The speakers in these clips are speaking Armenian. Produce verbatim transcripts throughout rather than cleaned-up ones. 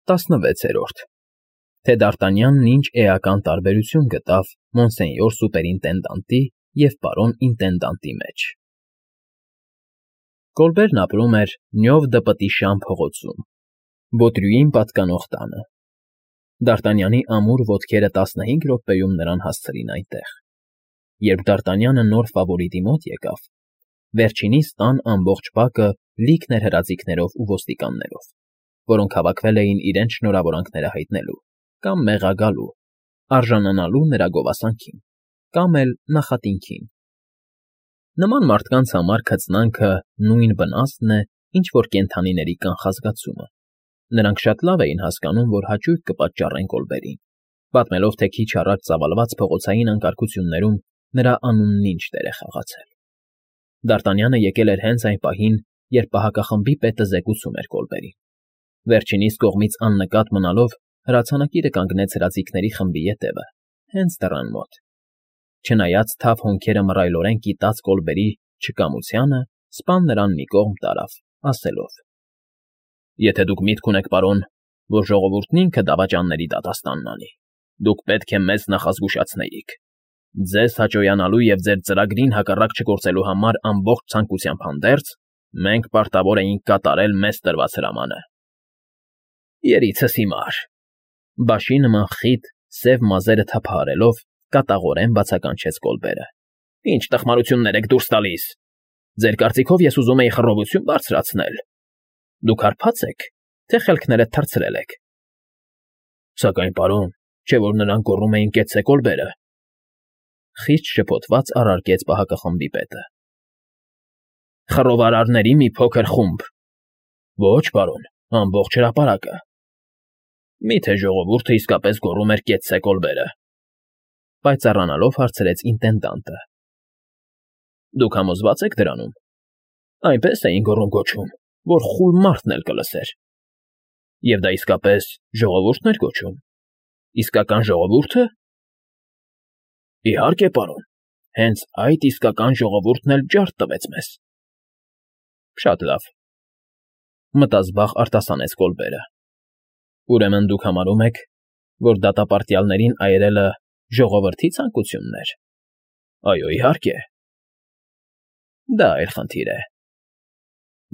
տասնվեցերորդ Թե Դ'Արտանյանն ինչ էական տարբերություն գտավ մոնսենյոր սուպերինտենդանտի և պարոն ինտենդանտի մեջ։ Կոլբերն ապրում էր Նյով դպտի Շան փողոցում, Բոտրյուին պատկանող տանը։ Դ'Արտանյանի ամուր ոտքերը տասնհինգ րոպեում նրան հասցրին այնտեղ։ Երբ Դ'Արտանյանը նոր ֆավորիտի մոտ եկավ, վերջինիս տան ամբողջ բակը լիքն էր հրաձիգներով ու ոստիկաններով, որոնք հավաքվել էին իրենց շնորհավորանքները հայտնելու կամ մեղագալու, արժանանալու նրա գովասանքին, կամ էլ նախատինքին։ Նման մարդկանց համար քծնանքը նույն վնասն է, ինչ որ կենդանիների կանխազգացումը։ Նրանք շատ լավ էին հասկանում, որ հաճույք կպատճառեն Կոլբերին, պատմելով, թե քիչ առաջ ծավալված փողոցային անկարգություններում նրա անունն ինչ դեր է խաղացել։ Դ'Արտանյանը եկել էր հենց այն պահին, երբ պահակախմբի պետը զեկուցում էր Կոլբերին։ Վերջինիս կողմից աննկատ մնալով հրացանակիրը կանգնեց հրաձիգների խմբի ետևը, հենց դռան մոտ։ Չնայած թավ հոնքերը մռայլորեն կիտած Կոլբերի չկամությանը, սպան նրան մի կողմ տարավ, ասելով. Եթե դուք միտք ունեք, պարոն, որ ժողովուրդն ինքը դավաճանների դատաստանն անի, դուք պետք է մեզ նախազգուշացնեիք։ Ձեզ հաճոյանալու և ձեր ծրագրին հակառակ չգործելու համար ամբողջ ցանկությամբ հանդերձ, մենք պարտավոր էինք կատարել մեզ տրված հրամանը։ Երիցս հիմար, բաշի նման խիտ, սև մազերը թափահարելով, կատաղորեն բացականչեց Կոլբերը։ Ինչ տխմարություններ եք դուրս տալիս։ Ձեր կարծիքով ես ուզում էի խռովություն բարձրացնել։ Դուք հարբած եք, թե խելքներդ թռցրել եք։ Սակայն, պարոն, չէ՞ որ նրանք գոռում էին կեցցե Կոլբերը։ Խիստ շփոթված առարկեց պահակախմբի պետը։ Խռովարարների մի փոքր խումբ։ Ոչ, պարոն, ամբողջ հրապարակը։ Մի՞թե ժողովուրդը իսկապես գոռում էր կեցցե Կոլբերը։ Պայծառանալով հարցրեց ինտենդանտը։ Դուք համոզվա՞ծ եք դրանում։ Այնպես էին գոռում֊գոչում, որ խուլ մարդն էլ կլսեր։ Եվ դա իսկապես ժողովուրդն էր գոչում։ Իսկական ժողովո՞ւրդը։ Իհարկե, պարոն, հենց այդ իսկական ժողովուրդն էլ ջարդ տվեց մեզ։ Շատ լավ, մտազբաղ արտասանեց Կոլբերը։ Ուրեմն դուք համարում եք, որ դատապարտյալներին այրելը ժողովրդի ցանկությունն էր։ Այո, իհարկե։ Դա այլ խնդիր է։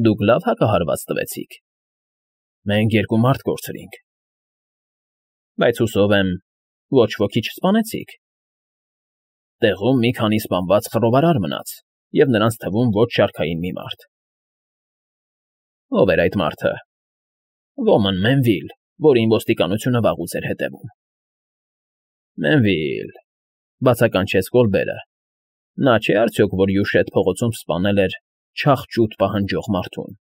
Դուք լավ հակահարված տվեցիք։ Մենք երկու մարդ կորցրինք։ Բայց հուսով եմ, ոչ ոքի չսպանեցիք։ Տեղում մի քանի սպանված խռովարար մնաց, և նրանց թվում ոչ շարքային մի մարդ։ Ո՞վ էր այդ մարդը։ Ոմն Մենվիլ, որին ոստիկանությունը վաղուց էր հետևում։ Մենվիլ, բացականչեց Կոլբերը։ Նա չէ՞ արդյոք, որ Յուշետ փողոցում սպանել էր չաղ֊ճուտ պահանջող մարդուն։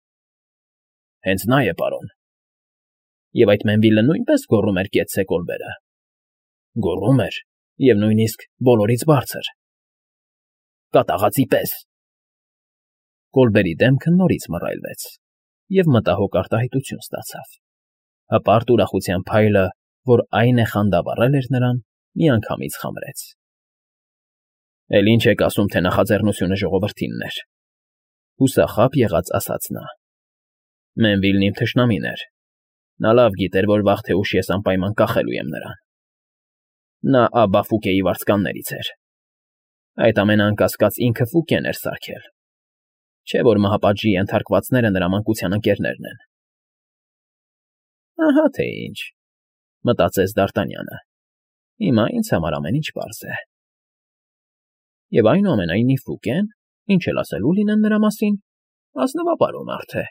Հենց նա է, պարոն։ Եվ այդ Մենվիլը նույնպես գոռում էր կեցցե Կոլբերը։ Գոռում էր, և նույնիսկ բոլորից բարձր։ Կատաղածի պես։ Կոլբերի դեմքը նորից մռայլվեց, և մտահոգ արտահայտություն ստացավ։ Հպարտ ուրախության փայլը, որ այն է խանդավառել էր նրան, միանգամից խամրեց։ Էլ ինչ եք ասում, թե նախաձեռնությունը ժողովրդինն էր։ Հուսախաբ եղած ասաց նա։ Մենվիլն իմ թշնամին էր։ Նա լավ գիտեր, որ վաղ թե ուշ ես անպայման կախելու եմ նրան։ Նա Աբա Ֆուկեի վարձկաններից էր։ Այդ ամենը անկասկած ինքը Ֆուկեն էր սարքել։ Չէ՞ որ մահապատժի ենթարկվածները նրա մանկության ընկերներն են։ Ահա թե ինչ, մտածեց Դ'Արտանյանը։ Հիմա ինձ համար ամեն ինչ պարզ է։ Եվ այնուամենայնիվ Ֆուկեն, ինչ էլ ասելու լինեն նրա մասին, ազնվապարու մարդ է։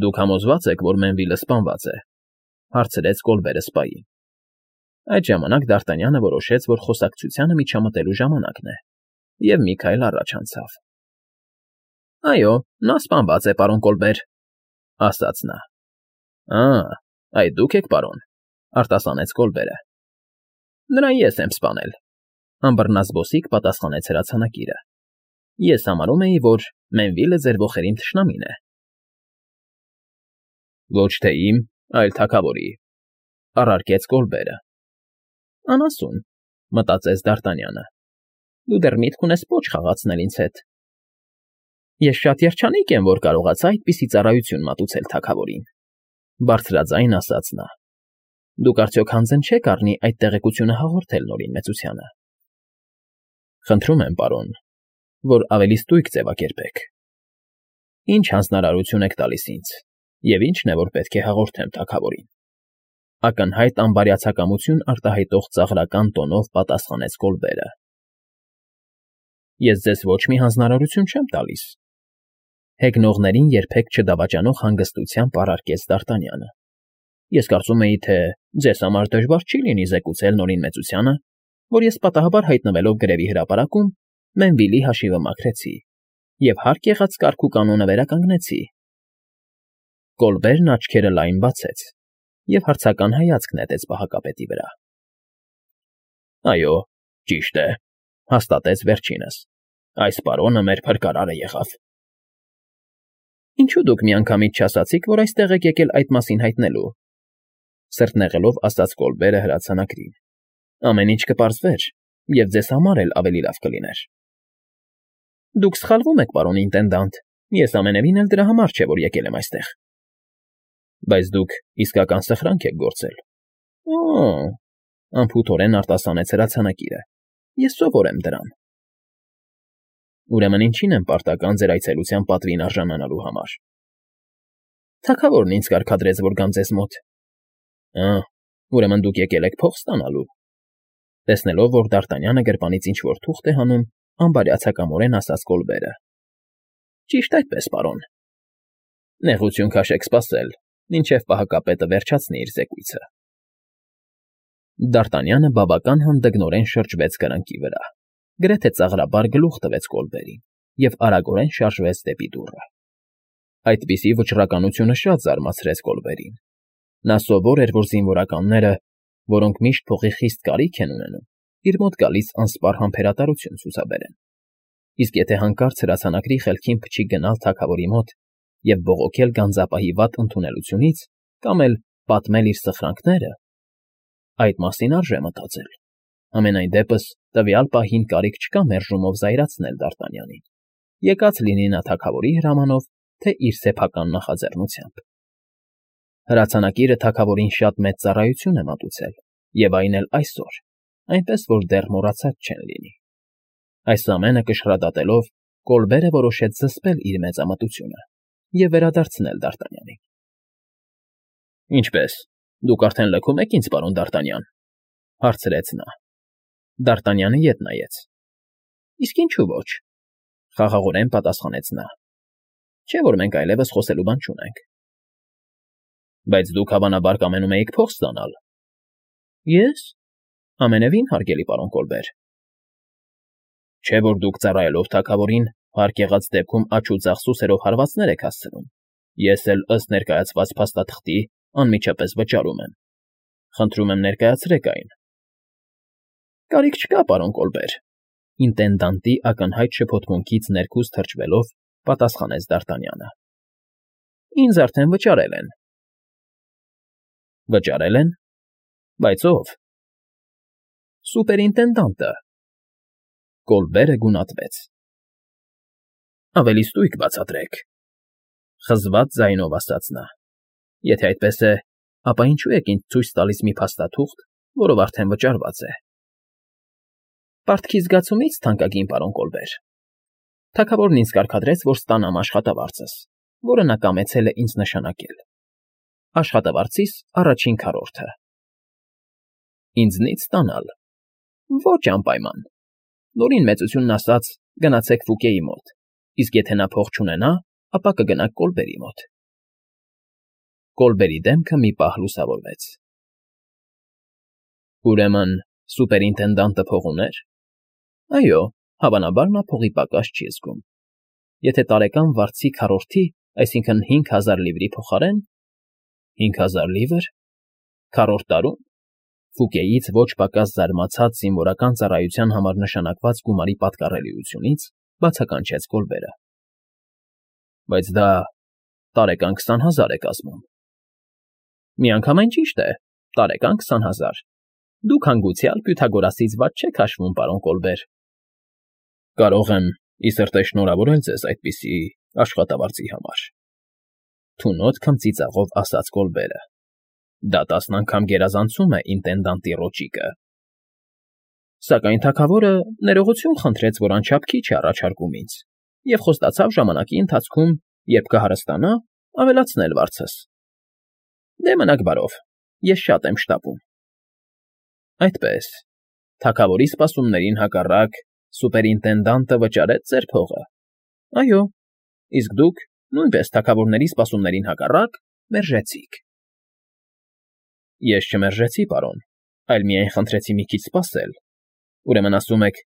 Դուք համոզվա՞ծ եք, որ Մենվիլը սպանված է, հարցրեց Կոլբերը սպային։ Այդ ժամանակ Դ'Արտանյանը որոշեց, որ խոսակցությանը միջամտելու ժամանակն է, և մի քայլ առաջ անցավ։ Այո, նա սպանված է, պարոն Կոլբեր, ասաց նա։ Ա, այդ դուք եք, պարոն, արտասանեց Կոլբերը։ Նրան ես եմ սպանել, անբռնազբոսիկ պատասխանեց հրացանակիրը։ Ես համարում էի, որ Մենվիլը ձեր ոխերիմ թշնամին է։ Ոչ թե իմ, այլ թագավորի, առարկեց Կոլբերը։ Անասուն, մտածեց Դ'Արտանյանը։ Դու դեռ միտք ունես պոչ խաղացնել ինձ հետ։ Ես շատ երջանիկ եմ, որ կարողացա այդպիսի ծառայություն մատուցել թագավորին։ Բարձրաձայն ասաց նա։ Դուք արդյոք հանձն չեք առնի այդ տեղեկությունը հաղորդել Նորին մեծությանը։ Խնդրում եմ, պարոն, որ ավելի ստույգ ձևակերպեք։ Ինչ հանձնարարություն եք տալիս ինձ, և ինչն է, որ պետք է հաղորդեմ թագավորին։ Ակնհայտ անբարյացակամություն արտահայտող ծաղրական տոնով պատասխանեց Կոլբերը։ Ես ձեզ ոչ մի հանձնարարություն չեմ տալիս, հեգնողներին երբեք չդավաճանող հանգստությամբ առարկեց Դ'Արտանյանը։ Ես կարծում էի, թե ձեզ համար դժվար չի լինի զեկուցել Նորին մեծությանը, որ ես պատահաբար հայտնվելով գրևի հրապարակում Մենվիլի հաշիվը մաքրեցի և հարկ եղած կարգ ու կանոնը վերականգնեցի։ Կոլբերն աչքերը լայն բացեց և հարցական հայացք նետեց պահակապետի վրա։ Այո, ճիշտ է, հաստատեց վերջինս, այս պարոնը մեր փրկարարը եղավ։ Ինչու դուք միանգամից չասացիք, որ այստեղ եք եկել այդ մասին հայտնելու, սրտնեղելով ասաց Կոլբերը հրացանակրին։ Ամեն ինչ կպարզվեր, և ձեզ համար էլ ավելի լավ կլիներ։ Դուք սխալվում եք, պարոն ինտենդանտ, ես ամենևին էլ դրա համար չէ, որ եկել եմ այստեղ։ Բայց դուք իսկական սխրանք եք գործել։ Օ՜, անփութորեն արտասանեց հրացանակիրը։ Ես սովոր եմ դրան։ Ուրեմն ինչին եմ պարտական ձեր այցելության պատվին արժանանալու համար։ Թագավորն ինձ կարգադրեց, որ գամ ձեզ մոտ։ Ա, ուրեմն դուք եկել եք փող ստանալու։ Տեսնելով, որ Դ'Արտանյանը գրպանից ինչ֊որ թուղթ է հանում, անբարյացակամորեն ասաց Կոլբերը։ Ճիշտ այդպես, պարոն։ Նեղություն քաշեք սպասել, մինչև պահակապետը վերջացնի իր զեկույցը։ Դ'Արտանյանը բավական հանդգնորեն շրջվեց կրակի վրա, գրեթե ծաղրաբար գլուխ տվեց Կոլբերին և արագորեն շարժվեց դեպի դուռը։ Այդպիսի վճռականությունը շատ զարմացրեց Կոլբերին։ Նա սովոր էր, որ զինվորականները, որոնք միշտ փողի խիստ կարիք են ունենում, իր մոտ գալիս անսպառ համբերատարություն ցուցաբերեն։ Իսկ եթե հանկարծ հրացանակրի խելքին փչի գնալ թագավորի մոտ և բողոքել գանձապահի վատ ընդունելությունից կամ էլ պատմել իր սխրանքները, այդ մասին արժե մտածել։ Համենայն դեպս տվյալ պահին կարիք չկա մերժումով զայրացնել Դ'Արտանյանին, եկած լինի նա թագավորի հրամանով, թե իր սեփական նախաձեռնությամբ։ Հրացանակիրը թագավորին շատ մեծ ծառայություն է մատուցել, և այն էլ այսօր, այնպես որ դեռ մոռացած չեն լինի։ Այս ամենը կշռադատելով, Կոլբերը որոշեց զսպել իր մեծամտությունը և վերադարձնել Դ'Արտանյանին։ Ինչպե՞ս, դուք արդեն լքում եք ինձ, պարոն Դ'Արտանյան, հարցրեց նա։ Դ'Արտանյանը ետ նայեց։ Իսկ ինչու ոչ, խաղաղորեն պատասխանեց նա։ Չէ՞ որ մենք այլևս խոսելու բան չունենք։ Բայց դուք հավանաբար կամենում էիք փող ստանալ։ Ես։ Ամենևին, հարգելի պարոն Կոլբեր։ Չէ՞ որ դուք ծառայելով թագավորին, հարկ եղած դեպքում աջ ու ձախ սուսերով հարվածներ եք հասցնում։ Ես էլ ըստ ներկայացված փաստաթղթի անմիջապես վճարում եմ։ Խնդրում եմ ներկայացրեք այն։ Կարիք չկա, պարոն Կոլբեր, ինտենդանտի ակնհայտ շփոթմունքից ներքուս թրջվելով պատասխանեց Դ'Արտանյանը։ Ինձ արդեն վճարել են։ Վճարել են։ Բայց ո՞վ։ Սուպերինտենդանտը։ Կոլբերը գունատվեց։ Ավելի ստույգ բացատրեք, խզված ձայնով ասաց նա։ Եթե այդպես է, ապա ինչու եք ինձ ցույց տալիս մի փաստաթուղթ, որով արդեն վճարված է։ Պարտքի զգացումից, թանկագին պարոն Կոլբեր։ Թագավորն ինձ կարգադրեց, որ ստանամ աշխատավարձս, որը նա կամեցել է ինձ նշանակել։ Աշխատավարձիս առաջին քառորդը։ Ինձնից ստանալ։ Ոչ անպայման։ Նորին մեծությունն ասաց, գնացեք Ֆուկեի մոտ, իսկ եթե նա փող չունենա, ապա կգնաք Կոլբերի մոտ։ Կոլբերի դեմքը մի պահ լուսավորվեց։ Ուրեմն սուպերինտենդանտը փող ուներ։ Այո, հավանաբար նա փողի պակաս չի զգում։ Եթե տարեկան վարձի քառորդի, այսինքն հինգ հազար լիվրի փոխարեն։ Հինգ հազար լիվր։ Քառորդ տարում։ Ֆուկեից ոչ պակաս զարմացած զինվորական ծառայության համար նշանակված գումարի պատկառելիությունից բացականչեց Կոլբերը։ Բայց դա տարեկան քսան հազար է կազմում։ Միանգամայն ճիշտ է, տարեկան քսան հազար։ Դուք հանգուցյալ Պյութագորասից վատ չեք հաշվում, պարոն Կոլբեր։ Կարող եմ ի սրտե շնորհավորել ձեզ այդպիսի աշխատավարձի համար։ Թունոտ քմծիծաղով ասաց Կոլբերը։ Դա տասն անգամ գերազանցում է ինտենդանտի ռոճիկը։ Սակայն թագավորը ներողություն խնդրեց, որ անչափ քիչ է առաջարկում ինձ, և խոստացավ ժամանակի ընթացքում, երբ կհարստանա, ավելացնել վարձս։ Դե մնաք բարով, ես շատ եմ շտապում։ Այդպես, թագավորի սպասումներին հակառակ, սուպերինտենդանտը վճարեց ձեր փողը։ Այո, իսկ դուք, նույնպես թագավորների սպասումներին հակառակ, մերժեցիք։ Ես չմերժեցի, պարոն, այլ միայն խնդրեցի մի քիչ սպասել։ Ուրեմն ասում եք.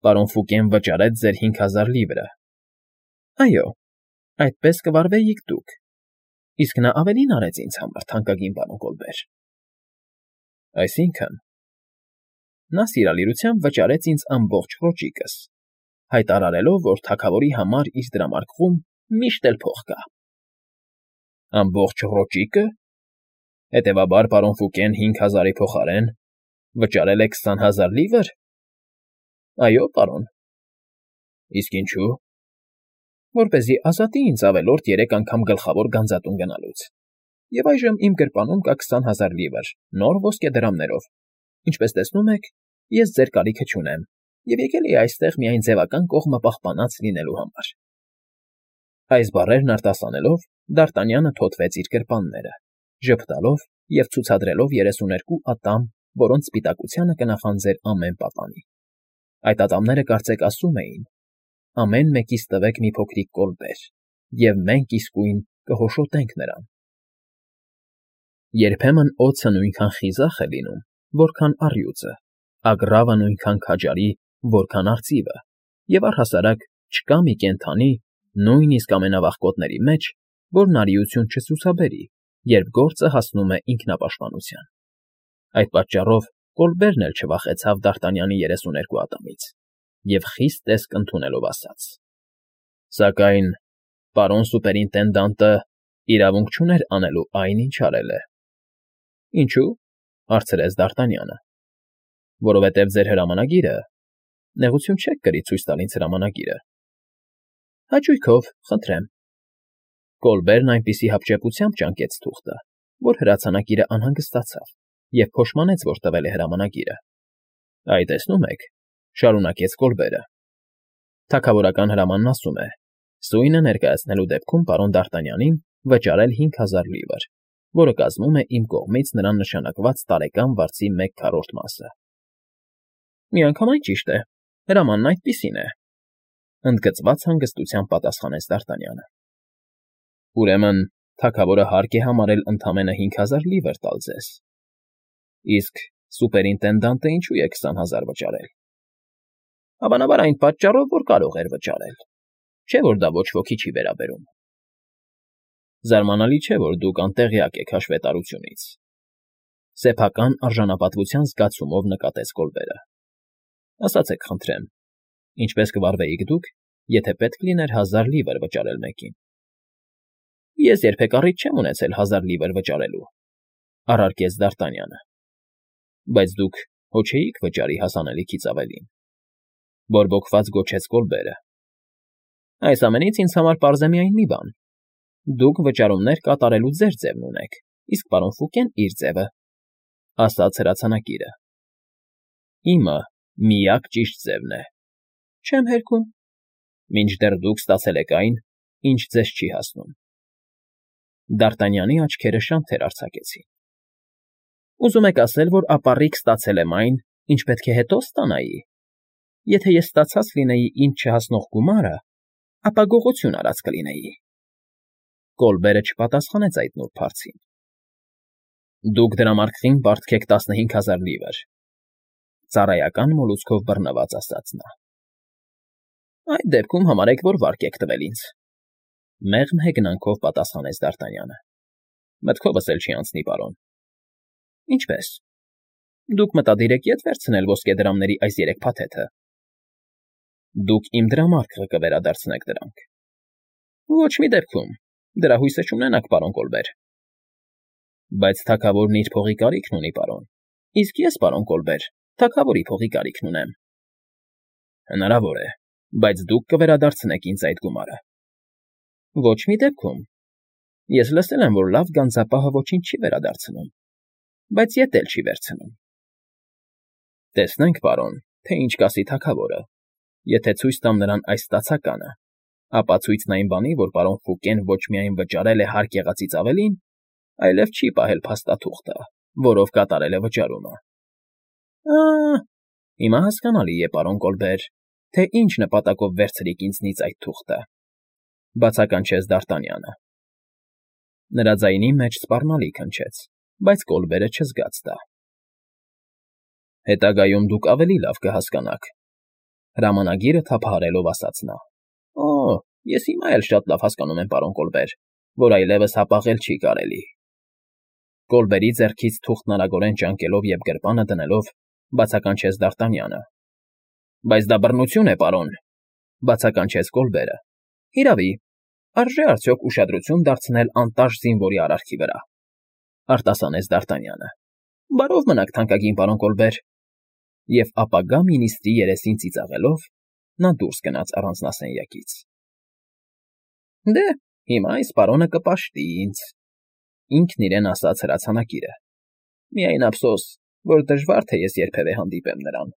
պարոն Ֆուկեն վճարեց ձեր հինգ հազար լիվրը։ Այո, այդպես կվարվեիք դուք, իսկ նա ավելին արեց ինձ համար, թանկագին պարոն Կոլբեր։ Այսինքն, նա սիրալիրությամբ վճարեց ինձ ամբողջ ռոճիկս, հայտարարելով, որ թագավորի համար իր դրամարկղում միշտ էլ փող կա։ Ամբողջ ռոճիկը։ Հետևաբար, պարոն Ֆուկեն հինգ հազարի փոխարեն վճարել է քսան հազար լիվր։ Այո, պարոն։ Իսկ ինչու։ Որպեսզի ազատի ինձ ավելորդ երեք անգամ գլխավոր գանձատուն գնալուց, և այժմ իմ գրպանում կա քսան հազար լիվր նոր ոսկեդրամներով, ինչպես տեսնում եք, ես ձեր կարիքը չունեմ և եկել էի այստեղ միայն ձևական կողմը պահպանած լինելու համար։ Այս բառերն արտասանելով, Դարտանյանը թոթվեց իր գրպանները, ժպտալով և ցուցադրելով երեսուներկու ատամ, որոնց սպիտակությանը կնախանձեր ամեն պատանի։ Այդ ատամները կարծեք ասում էին. ամեն մեկից տվեք մի փոքրիկ Կոլբեր, և մենք իսկույն կհոշոտենք նրան։ Երբեմն օձը նույնքան խիզախ է լինում, որքան առյուծը, ագռավը նույնքան քաջարի, որքան արծիվը, և առհասարակ չկա մի կենդանի, նույնիսկ ամենավաղկոտների մեջ, որ նարիություն չցուցաբերի, երբ գործը հասնում է ինքնապաշտպանության։ Այդ պատճառով Կոլբերն էլ չվախեցավ Դարտանյանի երեսուներկու ատամից և խիստ տեսք ընդունելով ասաց. Սակայն պարոն սուպերինտենդանտը իրավունք չուներ անելու այն, ինչ արել է։ Ինչու՞, հարցրեց Դարտանյանը։ Որովհետև ձեր հրամանագիրը… Նեղություն չեք կրի ցույց տալ ինձ հրամանագիրը։ Հաճույքով, խնդրեմ։ Կոլբերն այնպիսի հապճեպությամբ ճանկեց թուղթը, որ հրացանակիրը անհանգստացավ և փոշմանեց, որ տվել է հրամանագիրը։ Այ տեսնում եք, շարունակեց Կոլբերը, թագավորական հրամանն ասում է. սույնը ներկայացնելու դեպքում պարոն Դարտանյանին վճարել հինգ հազար լիվր, որը կազմում է իմ կողմից նրան նշանակված տարեկան վարձի մեկ քառորդ մասը։ Միանգամայն ճիշտ է, հրամանն այդպիսին է, ընդգծված հանգստությամբ պատասխանեց Դարտանյանը։ Ուրեմն թագավորը հարկ է համարել ընդամենը հինգ հազար լիվր տալ ձեզ։ Իսկ սուպերինտենդանտը ինչու է քսան հազար վճարել։ Հավանաբար այն պատճառով, որ կարող էր վճարել, չէ՞ որ դա ոչ ոքի չի վերաբերում։ Զարմանալի չէ, որ դուք անտեղյակ եք հաշվետարությունից, սեփական արժանապատվության զգացումով նկատեց Կոլբերը։ Ասացեք, խնդրեմ, ինչպես կվարվեիք դուք, եթե պետք լիներ հազար լիվր վճարել մեկին։ Ես երբեք առիթ չեմ ունեցել հազար լիվր վճարելու, առարկեց Դարտանյանը։ Բայց դուք հո չէիք վճարի հասանելիքից ավելին։ Բորբոքված գոչեց Կոլբերը։ Այս ամենից ինձ համար պարզ է միայն մի բան. դուք վճարումներ կատարելու ձեր ձևն ունեք, իսկ պարոն Ֆուկեն իր ձևը, ասաց հրացանակիրը։ Իմը միակ ճիշտ ձևն է։ Չեմ հերքում։ Մինչդեռ դուք ստացել եք այն, ինչ ձեզ չի հասնում։ Դարտանյանի աչքերը շանթեր արձակեցին։ Ուզում եք ասել, որ ապառիկ ստացել եմ այն, ինչ պետք է հետո ստանայի։ Եթե ես ստացած լինեի ինձ չհասնող գումարը, ապա գողություն արած կլինեի։ Կոլբերը չպատասխանեց այդ նուրբ հարցին։ Դուք դրամարկղին պարտքեք տասնհինգ հազար լիվր, ծառայական մոլուցքով բռնված ասաց նա։ Այդ դեպքում համարեք, որ վարկ եք տվել ինձ, մեղմ հեգնանքով պատասխանեց Դարտանյանը։ Մտքովս էլ չի անցնի, պարոն։ Ինչպես։ Դուք մտադիր եք ետ վերցնել ոսկեդրամների այս երեք փաթեթը։ Դուք իմ դրամարկղը կվերադարձնեք դրանք։ Ոչ մի դեպքում, դրա հույսը չունենաք, պարոն Կոլբեր։ Բայց թագավորն իր փողի կարիքն ունի, պարոն, իսկ ես, պարոն Կոլբեր, թագավորի փողի կարիքն ունեմ։ Հնարավոր է, բայց դուք կվերադարձնեք ինձ այդ գումարը։ Ոչ մի դեպքում։ Ես լսել եմ, որ լավ գանձապահը ոչինչ չի վերադարձնում, բայց ետ էլ չի վերցնում։ ֊ Տեսնենք, պարոն, թե ինչ կասի թագավորը, եթե ցույց տամ նրան այս ստացականը, ապա ցույցն այն բանի, որ պարոն Ֆուկեն ոչ միայն վճարել է հարկ եղածից ավելին, այլև չի պահել փաստաթուղթը, որով կատարել է վճարումը։ ֊ Ա՜, հիմա հասկանալի է, պարոն Կոլբեր, թե ինչ նպատակով վերցրիք ինձնից այդ թուղթը,֊ բացականչեց Դ'Արտանյանը։ Նրա ձայնի մեջ սպառնալիք հնչեց, բայց Կոլբերը չզգաց դա։ ֊ Հետագայում դուք ավելի լավ կհասկանաք,֊ հրամանագիրը թափահարելով ասաց նա։ ֊ Օ՜, ես հիմա էլ շատ լավ հասկանում եմ, պարոն Կոլբեր, որ այլևս հապաղել չի կարելի,֊ Կոլբերի ձեռքից թուղթն արագորեն ճանկելով և գրպանը դնելով բացականչեց Դ'Արտանյանը։ ֊ Բայց դա բռնություն է, պարոն,֊ բացականչեց Կոլբերը։ ֊ Հիրավի, արժե՞ արդյոք ուշադրություն դարձնել անտաշ զինվորի արարքի վրա,֊ արտասանեց Դ'Արտանյանը։ ֊ Բարով մնաք, թանկագին պարոն Կոլբեր,֊ և ապագա մինիստրի երեսին ծիծաղելով նա դուրս գնաց առանձնասենյակից։ ֊ Դե, հիմա այս պարոնը կպաշտի ինձ,֊ ինքն իրեն ասաց հրացանակիրը,֊ միայն ափսոս, որ դժվար թե ես երբևէ հանդիպեմ նրան։